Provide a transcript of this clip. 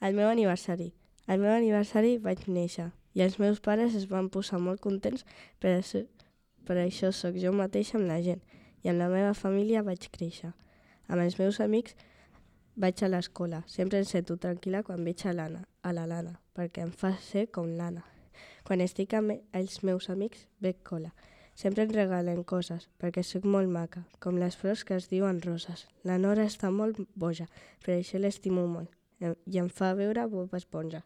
El meu aniversari. El meu aniversari vaig néixer i els meus pares es van posar molt contents per això sóc jo mateixa amb la gent i amb la meva família vaig créixer. Amb els meus amics vaig a l'escola. Sempre em sento tranquil·la quan veig a la Lana, perquè em fa ser com l'Anna. Quan estic amb els meus amics bec cola. Sempre em regalen coses, perquè sóc molt maca, com les flors que es diuen roses. La Nora està molt boja, per això l'estimo molt i em fa veure Bob Esponja.